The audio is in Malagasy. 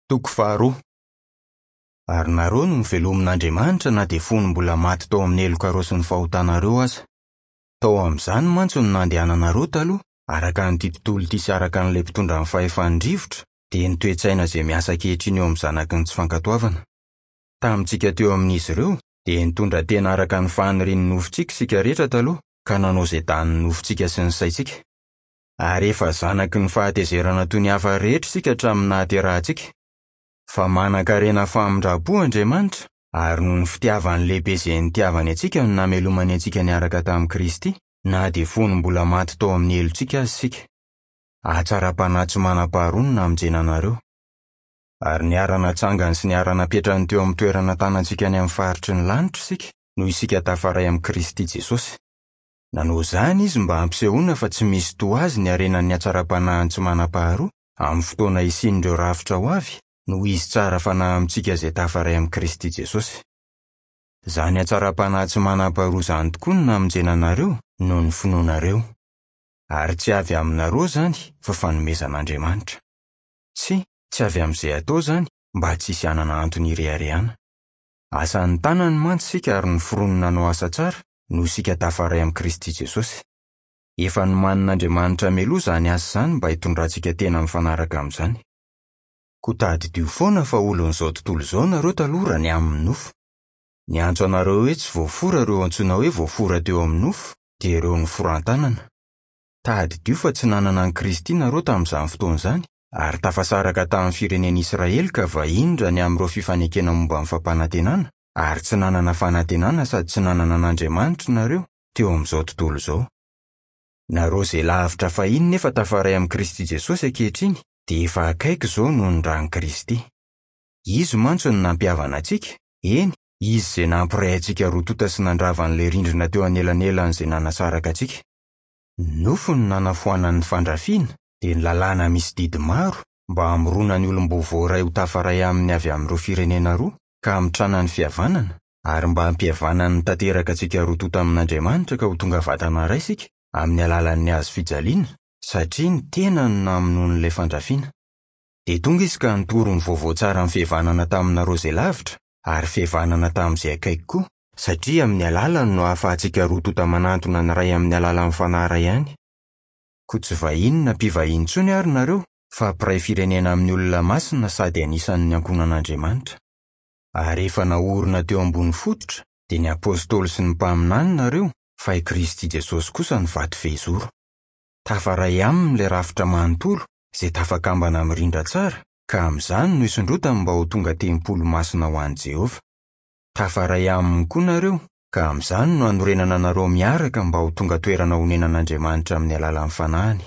Toko faharoa. Ary nareo no novelomin'Andriamanitra na dia fony mbola maty tao amin'ny helokareo sy ny fahotanareo aza. Tao amin'izany mantsy no nandehananareo taloha, araka an'ity tontolo ity sy araka an'ilay mpitondra ny fahefan'ny rivotra, dia ny toe-tsaina izay miasa ankehitriny eo amin'ny zanaky ny tsy fankatoavana. Tamintsika teo amin'izy ireo, dia nitondra tena araka ny fanirian'ny nofontsika isika rehetra taloha, ka nanao izay danin'ny nofontsika sy ny saintsika. Ary efa zanaky ny fahatezerana toy ny hafa rehetra isika hatramin'ny nahaterahantsika. Fa manankarena famindram-po Andriamanitra, ary noho ny fitiavany lehibe izay nitiavany antsika no namelomany antsika niaraka tamin'i Kristy, na dia fony mbola maty tao amin'ny helotsika aza isika. Hatsaram-panahy tsy manam-paharoa no namonjena anareo. Ary niara-natsangany sy niara-napetrany teo amin'ny toerana tanantsika any amin'ny faritry ny lanitra isika, noho isika tafaray amin'i Kristy Jesosy. Nanao izany izy mba hampisehoana fa tsy misy toa azy ny harenan'ny hatsaram-panahiny tsy manam-paharoa, amin'ny fotoana hisian'ireo rafitra ho avy, noho izy tsara fanahy amintsika izay tafaray amin'i Kristy Jesosy. Izany hatsaram-panahy tsy manam-paharoa izany tokoa no namonjena anareo, noho ny finoanareo. Ary tsy avy aminareo izany, fa fanomezan'Andriamanitra. Tsia, tsy avy amin'izay atao izany, mba tsy hisy hanana antony hireharehana. Asan'ny tanany mantsy isika ary noforoniny hanao asa tsara, noho isika tafaray amin'i Kristy Jesosy. Efa nomanin'Andriamanitra mialoha izany asa izany mba hitondrantsika tena mifanaraka amin'izany. Koa tadidio foana fa olon'izao tontolo izao nareo taloha raha ny amin'ny nofo. Niantso anareo hoe tsy voafora ireo antsoina hoe voafora teo amin'ny nofo, dia ireo noforan-tanana. Tadidio fa tsy nanana an'i Kristy nareo tamin'izany fotoana izany, ary tafasaraka tamin'ny firenen'Israely ka vahiny raha ny amin'ireo fifanekena momba ny fampanantenana, ary tsy nanana fanantenana sady tsy nanana an'Andriamanitra nareo teo amin'izao tontolo izao. Nareo izay lavitra fahiny nefa tafaray amin'i Kristy Jesosy ankehitriny dia efa akaiky izao noho ny ran'i Kristy. Izy mantsy no nampihavana antsika, eny, Izy izay nampiray antsika roa tonta sy nandrava an'ilay rindrina teo anelanelan'izay nanasaraka antsika. Ny nofo no nanafoanany ny fandrafiana, dia ny lalàna misy didy maro, mba hamorona ny olom-baovao iray ho tafaray aminy avy amin'ireo firenena roa, ka hamintrana ny fihavanana, ary mba hampihavanany tanteraka antsika roa tonta amin'Andriamanitra ka ho tonga vatana iray isika, amin'ny alalan'ny hazo fijaliana, satria ny tenany no namonoany ilay fandrafiana. Dia tonga izy ka nitory ny vaovao tsaran'ny fihavanana taminareo izay lavitra, ary fihavanana tamin'izay akaiky koa, satria amin'ny alalany no ahafahantsika roa tonta manantona ny Ray amin'ny alalan'ny Fanahy iray ihany. Koa tsy vahiny na mpivahiny intsony àry nareo, fa mpiray firenena amin'ny olona masina sady anisan'ny ankohonan'Andriamanitra. Ary efa naorina teo ambony fototra, dia ny apostoly sy ny mpaminany nareo, fa i Kristy Jesosy kosa no vato fehizoro. Tafaray aminy ilay rafitra manontolo, izay tafakambana mirindra tsara, ka amin'izany no isondrotany mba ho tonga tempoly masina ho an'i Jehovah. Tafaray aminy koa nareo, ka amin'izany no anorenana anareo miaraka mba ho tonga toerana honenan'Andriamanitra amin'ny alalan'ny fanahiny.